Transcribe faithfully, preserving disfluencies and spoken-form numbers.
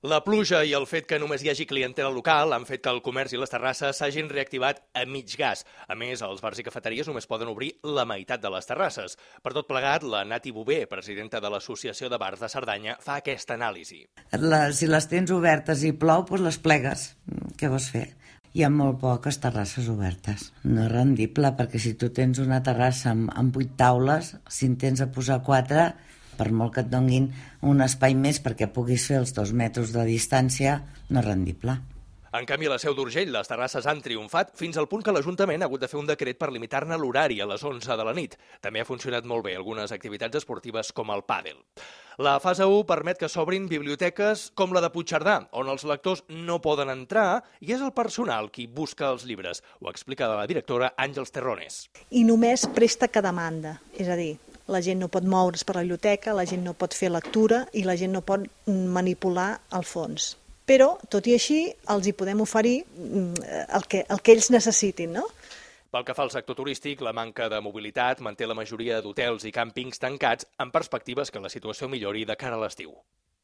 La pluja i el fet que només hi hagi clientela local han fet que el comerç i les terrasses s'hagin reactivat a mig gas. A més, els bars i cafeteries només poden obrir la meitat de les terrasses. Per tot plegat, la Nati Bové, presidenta de l'Associació de Bars de Cerdanya, fa aquesta anàlisi. La, si les tens obertes i plou, doncs les plegues. Què vols fer? Hi ha molt poques terrasses obertes. No és rendible, perquè si tu tens una terrassa amb, amb vuit taules, si en tens a posar quatre, per molt que et donguin un espai més perquè puguis fer els dos metres de distància, no és rendible. En canvi, a la Seu d'Urgell, les terrasses han triomfat fins al punt que l'Ajuntament ha hagut de fer un decret per limitar-ne l'horari a les onze de la nit. També ha funcionat molt bé algunes activitats esportives com el pàdel. La fase u permet que s'obrin biblioteques com la de Puigcerdà, on els lectors no poden entrar i és el personal qui busca els llibres. Ho explica la directora Àngels Terrones. I només presta que demanda, és a dir, la gent no pot moure's per la biblioteca, la gent no pot fer lectura i la gent no pot manipular el fons. Però, tot i així, els hi podem oferir el que, el que ells necessitin, no? Pel que fa al sector turístic, la manca de mobilitat manté la majoria d'hotels i càmpings tancats amb perspectives que la situació millori de cara a l'estiu.